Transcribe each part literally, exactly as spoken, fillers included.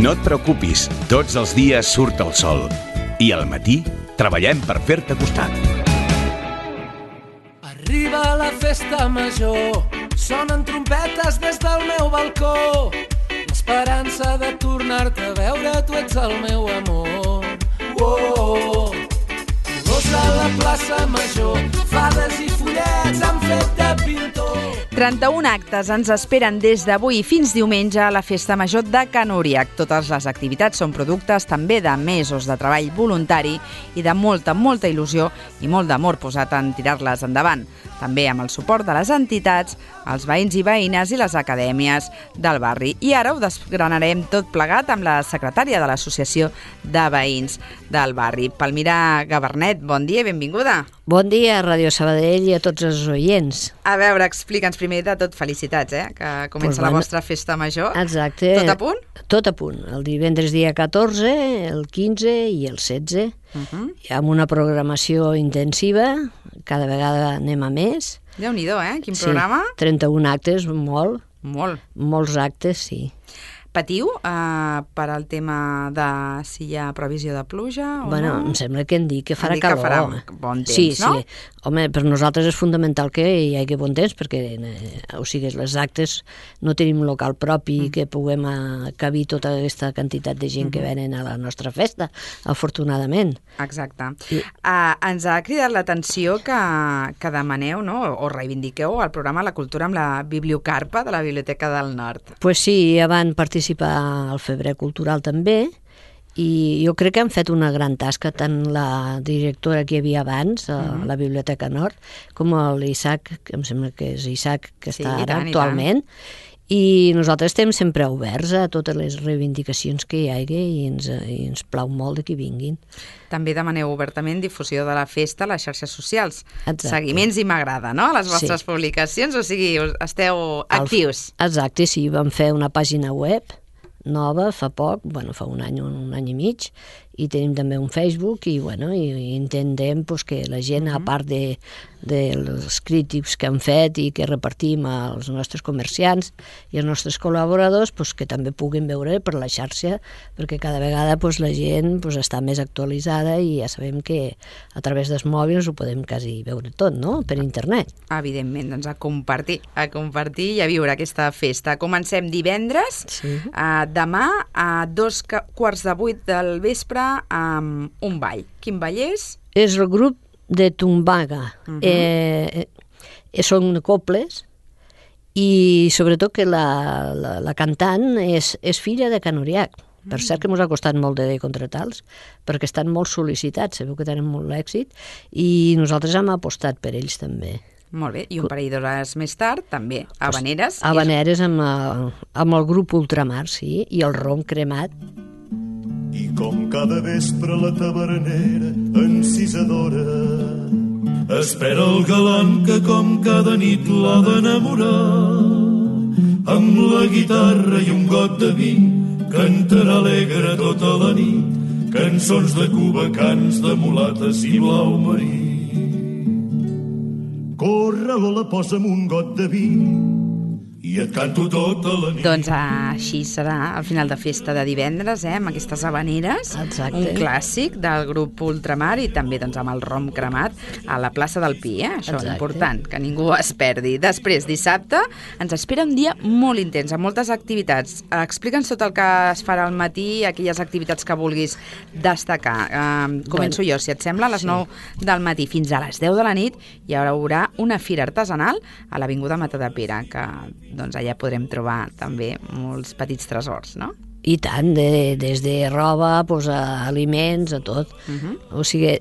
No et preocupis, tots els dies surt el sol. I al matí treballem per fer-te costat. Arriba la festa major, sonen trompetes des del meu balcó. L'esperança de tornar-te a veure, tu ets el meu amor. Oh, colors a la plaça major, fades i follets han fet de pintor. trenta-un actes ens esperen des d'avui fins diumenge a la Festa Major de Can Uriach. Totes les activitats són productes també de mesos de treball voluntari i de molta, molta il·lusió i molt d'amor posat en tirar-les endavant. També amb el suport de les entitats, els veïns i veïnes i les acadèmies del barri. I ara ho desgranarem tot plegat amb la secretària de l'Associació de Veïns del barri. Palmira Gabernet, bon dia i benvinguda. Bon dia a Ràdio Sabadell i a tots els oients. A veure, explica'ns primer de tot, felicitats, eh? Que comença pues bueno, la vostra festa major. Exacte. Tot a punt? Tot a punt. El divendres dia catorze, el quinze i el setze. Uh-huh. Amb una programació intensiva, cada vegada anem a més. Déu-n'hi-do, eh? Quin programa? Sí, trenta-un actes, molt. Molt. Molts actes, sí. Patiu uh, per al tema de si hi ha previsió de pluja o bueno, no? Em sembla que hem dit que farà dit calor. Que farà bon temps, sí, no? Sí, home, per nosaltres és fundamental que hi hagi bon temps, perquè, eh, o sigui, les actes no tenim local propi mm. que puguem acabir tota aquesta quantitat de gent mm-hmm. que venen a la nostra festa, afortunadament. Exacte. I... Uh, ens ha cridat l'atenció que, que demaneu, no?, o reivindiqueu el programa La Cultura amb la Bibliocarpa de la Biblioteca del Nord. Pues sí, ja van participar al Febrer Cultural també, i jo crec que han fet una gran tasca tant la directora que hi havia abans a uh-huh. la Biblioteca Nord com l'Isaac, que em sembla que és Isaac que sí, està ara tant, actualment, i, i nosaltres estem sempre oberts a totes les reivindicacions que hi hagi i ens, i ens plau molt que vinguin. També demaneu obertament difusió de la festa a les xarxes socials. Exacte. Seguiments i m'agrada, no?, a les vostres sí. publicacions, o sigui, esteu actius. El, exacte, sí, vam fer una pàgina web nova fa poc, bueno, fa un any, un, un any i mig, i tenim també un Facebook i, bueno, i, i intentem pues, que la gent, uh-huh. a part de, dels crítics que han fet i que repartim als nostres comerciants i als nostres col·laboradors, pues, que també puguin veure per la xarxa, perquè cada vegada pues, la gent pues, està més actualitzada i ja sabem que a través dels mòbils ho podem quasi veure tot, no?, per internet. Evidentment, doncs a compartir, a compartir i a viure aquesta festa. Comencem divendres, sí. uh, demà a dos quarts de vuit del vespre amb un ball. Quin ball és? És el grup de Tumbaga. Uh-huh. eh, eh, són cobles i sobretot que la, la, la cantant és, és filla de Can Uriach. Per uh-huh. cert que ens ha costat molt de contratar-los perquè estan molt sol·licitats, sabeu que tenen molt èxit i nosaltres hem apostat per ells també. Molt bé, i un parell d'hores més tard també, Havaneres. Pues, Havaneres amb, el, amb el grup Ultramar, sí, i el rom cremat. I com cada vespre la tavernera encisadora espera el galant que com cada nit l'ha d'enamorar, amb la guitarra i un got de vi cantarà alegre tota la nit cançons de cubacans, de mulates i blau marí. Corre, Lola, posa'm un got de vi i et canto tota la nit. Doncs així serà al final de festa de divendres, eh, amb aquestes havaneres. Exacte. Un clàssic del grup Ultramar i també doncs, amb el rom cremat a la plaça del Pi, eh? Això és important, que ningú es perdi. Després, dissabte, ens espera un dia molt intens, amb moltes activitats. Explica'ns tot el que es farà al matí, aquelles activitats que vulguis destacar. Uh, començo bueno, jo, si et sembla, a les sí. nou del matí fins a les deu de la nit hi haurà una fira artesanal a l'Avinguda Matadepera, que doncs allà podrem trobar també molts petits tresors, no? I tant, de, des de roba pues, a aliments, a tot. Uh-huh. O sigui,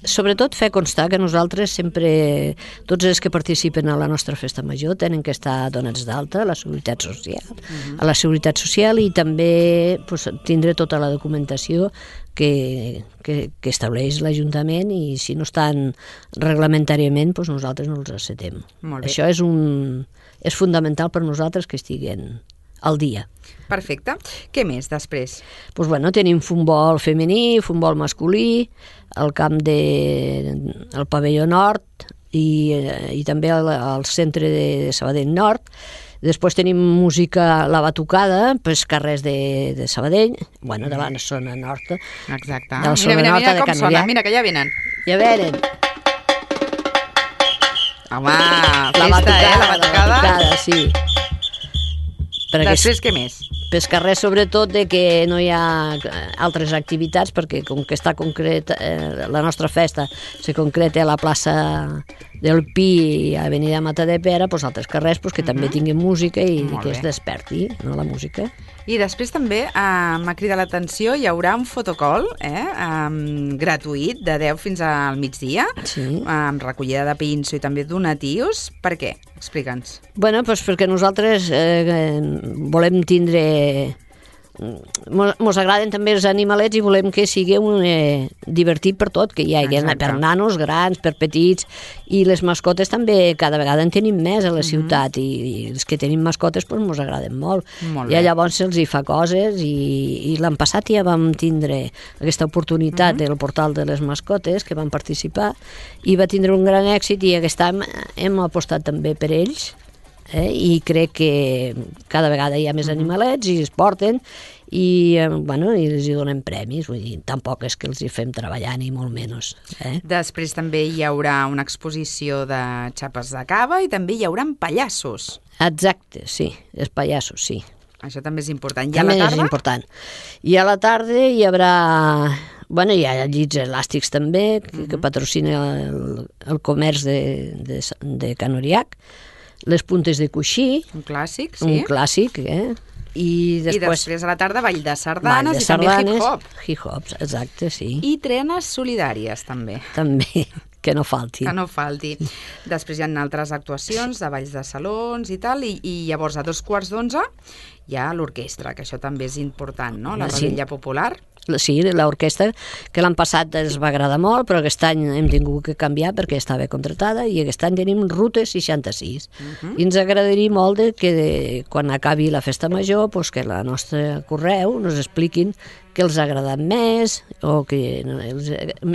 sobretot fer constar que nosaltres sempre, tots els que participen a la nostra festa major tenen que estar donats d'alta a la Seguretat Social, uh-huh. a la Seguretat Social i també pues, tindre tota la documentació que, que, que estableix l'Ajuntament i si no estan reglamentàriament pues, nosaltres no els acceptem. Això és, un, és fundamental per nosaltres que estiguen al dia. Perfecte. Què més després? Pues bueno, tenim futbol femení, futbol masculí, el camp de el pavelló nord i, i també al, al centre de Sabadell Nord. Després tenim música La Batucada, pels carrers de, de Sabadell, bueno, de la zona nord. Exacte. De la Mira, zona mira, nord mira de com Canoriac. sona, mira que ja venen. Ja venen. Home, La festa, batucada, eh, la batucada. La batucada, sí. Perquè Després, què més? pels carrers, sobretot, de que no hi ha altres activitats, perquè com que està concret, eh, la nostra festa se concreta a la plaça del Pi i a Avenida Matadepera, doncs altres carrers pues, que també tinguin música i Molt que es bé. desperti, no, la música. I després també eh, m'ha cridat l'atenció, hi haurà un fotocall eh, um, gratuït de deu fins al migdia, Sí. amb recollida de pinso i també donatius. Per què? Explica'ns. Bueno, doncs perquè nosaltres eh, volem tindre... Mos, mos agraden també els animalets i volem que sigui un eh, divertit per tot, que hi hagi Exacte. per nanos, grans, per petits, i les mascotes també cada vegada en tenim més a la ciutat, i, i els que tenim mascotes doncs, mos agraden molt. Molt I bé. llavors se'ls hi fa coses, i, i l'any passat ja vam tindre aquesta oportunitat del portal de les mascotes, que van participar, i va tindre un gran èxit, i aquest any hem apostat també per ells, eh? I crec que cada vegada hi ha més animalets i es porten i, eh, bueno, i els hi donem premis, vull dir, tampoc és que els hi fem treballar ni molt menys. Eh? Després també hi haurà una exposició de xapes de cava i també hi haurà pallassos. Exacte, sí, els pallassos, sí. Això també és important. I a També la és tarda? important. I a la tarda hi haurà... Bueno, hi ha llits elàstics també, que, que patrocina el, el comerç de, de, de Canoriac, les puntes de coixí, Un clàssic, sí. un clàssic, eh? I I després, després a la tarda ball de ball sardanes de i també sardanes, hip-hop. hip-hop, exacte, sí. I trenes solidàries, també. També, que no falti. Que no falti. Després hi ha altres actuacions de balls de salons i tal, i, i llavors a dos quarts d'onze hi ha l'orquestra, que això també és important, no? La Sí. revetlla popular. Sí, l'orquestra, que l'any passat ens va agradar molt, però aquest any hem tingut que canviar perquè estava contratada, i aquest any tenim Ruta seixanta-sis. Uh-huh. I ens agradaria molt de que de, quan acabi la festa major, pues, que la nostra correu nos expliquin què els ha agradat més, o que,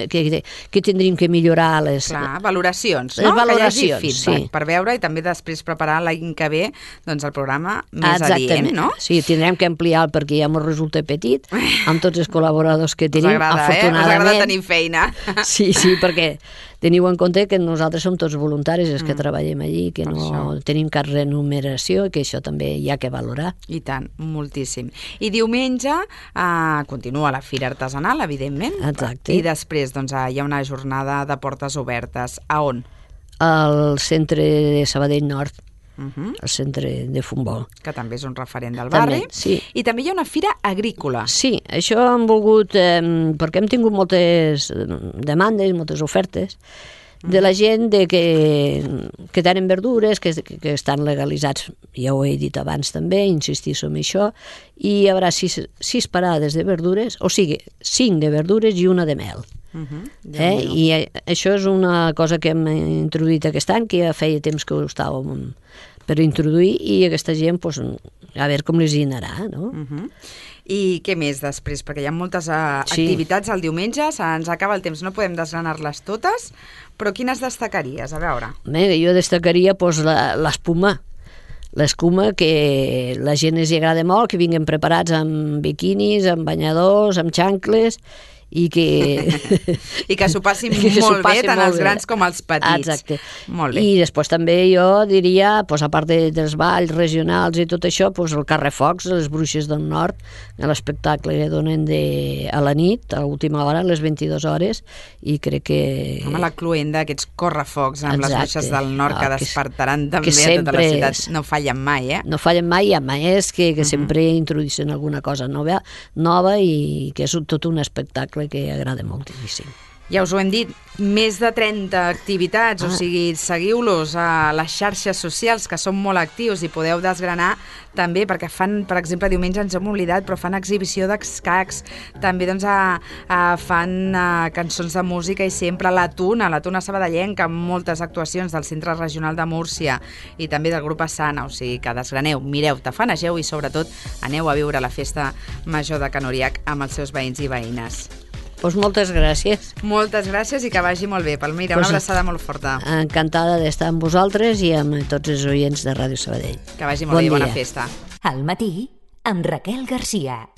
que, que tindríem que millorar les... Clar, valoracions, Les no? valoracions, que hi hagi feedback, sí. per veure i també després preparar l'any que ve doncs, el programa més Exactament, adient, no? Sí, tindrem que ampliar perquè ja ens resulta petit, amb tots els col·laboradors que Us tenim, agrada, eh? Us afortunadament. agrada tenir feina. Sí, sí, perquè teniu en compte que nosaltres som tots voluntaris els que Mm. treballem allí, que Per no això. tenim cap remuneració, i que això també hi ha que valorar. I tant, moltíssim. I diumenge eh, continua la Fira Artesanal, evidentment. Exacte. I després doncs, eh, hi ha una jornada de portes obertes. A on? Al centre de Sabadell Nord, Uh -huh. al centre de futbol. Que també és un referent del També, barri. sí. I també hi ha una fira agrícola. Sí, això hem volgut, eh, perquè hem tingut moltes demandes, moltes ofertes, de la gent de que, que tenen verdures, que, que, que estan legalitzats, ja ho he dit abans també, insistir en això, i hi haurà sis, sis parades de verdures, o sigui, cinc de verdures i una de mel. Uh -huh. Eh? I eh, això és una cosa que hem introduït aquest any, que ja feia temps que ho estàvem per introduir, i aquesta gent, pues, a veure com les hi anarà, no? Uh -huh. I què més després? Perquè hi ha moltes uh, Sí. activitats el diumenge, se'ns acaba el temps, no podem desgranar-les totes, però quines destacaries? A veure. Bé, jo destacaria pues, la- l'espuma, l'escuma, que la gent els hi agrada molt, que vinguin preparats amb biquinis, amb banyadors, amb xancles, i que... I que s'ho passin que s'ho molt bé, passin tant molt els bé. grans com els petits. Exacte. Molt bé. I després també jo diria, pues, a part de, dels balls regionals i tot això, pues, el Carrefocs, les Bruixes del Nord, l'espectacle que donen de, a la nit, a l'última hora, a les vint-i-dues hores, i crec que... Home, la cluenda, aquests correfocs amb Exacte. les bruixes del nord que Ah, que- despertaran també que a tota la sempre ciutat. és- No fallen mai, eh? No fallen mai, hi ha maestrs que, que uh-huh. sempre introdueixen alguna cosa nova, nova i que és un, tot un espectacle que agrada moltíssim. Ja us ho hem dit, més de trenta activitats, Ah. o sigui, seguiu-los a les xarxes socials, que són molt actius i podeu desgranar també, perquè fan, per exemple, diumenge ens hem oblidat, però fan exhibició d'escacs, també doncs, a, a, fan a, cançons de música i sempre a la Tuna, la Tuna Sabadellenca, amb moltes actuacions del Centre Regional de Múrcia i també del grup Asana, o sigui, que desgraneu, mireu, tafanegeu i sobretot aneu a viure la festa major de Canoriac amb els seus veïns i veïnes. Doncs moltes gràcies. Moltes gràcies i que vagi molt bé. Palmira, Pues, una abraçada molt forta. Encantada d'estar amb vosaltres i amb tots els oients de Ràdio Sabadell. Que vagi molt Bon bé, bona dia. festa. Al matí, amb Raquel Garcia.